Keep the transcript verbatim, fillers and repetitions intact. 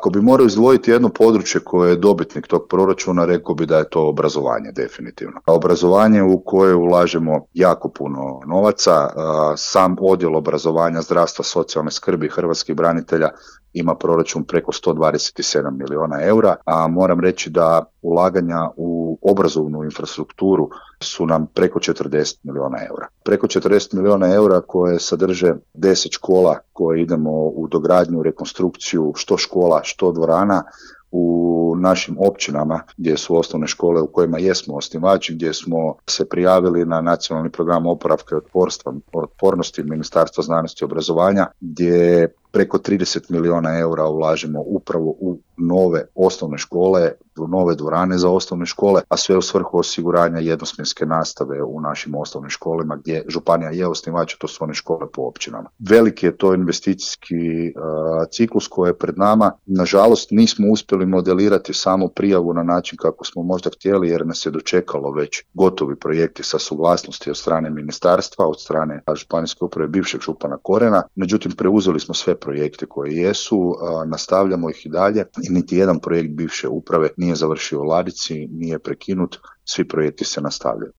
Ako bi morao izdvojiti jedno područje koje je dobitnik tog proračuna, rekao bi da je to obrazovanje definitivno. Obrazovanje u koje ulažemo jako puno novaca, sam odjel obrazovanja, zdravstva, socijalne skrbi hrvatskih branitelja ima proračun preko sto dvadeset sedam milijuna eura, a moram reći da ulaganja u obrazovnu infrastrukturu su nam preko četrdeset milijuna eura. Preko četrdeset milijuna eura koje sadrže deset škola koje idemo u dogradnju, rekonstrukciju, što škola, što dvorana, u našim općinama gdje su osnovne škole u kojima jesmo osnivači, gdje smo se prijavili na nacionalni program oporavka i otporstva, otpornosti Ministarstva znanosti i obrazovanja, gdje preko trideset milijuna eura ulažemo upravo u nove osnovne škole, u nove dvorane za osnovne škole, a sve u svrhu osiguranja jednosmjenske nastave u našim osnovnim školama gdje županija je osnivač, to su one škole po općinama. Veliki je to investicijski uh, ciklus koji je pred nama. Nažalost, nismo uspjeli modelirati samo prijavu na način kako smo možda htjeli, jer nas je dočekalo već gotovi projekti sa suglasnosti od strane ministarstva, od strane županijske uprave bivšeg župana Korena. Međutim, preuzeli smo sve projekte koji jesu, uh, nastavljamo ih i dalje i niti jedan projekt bivše uprave nije završio u ladici, nije prekinut, svi projekti se nastavljaju.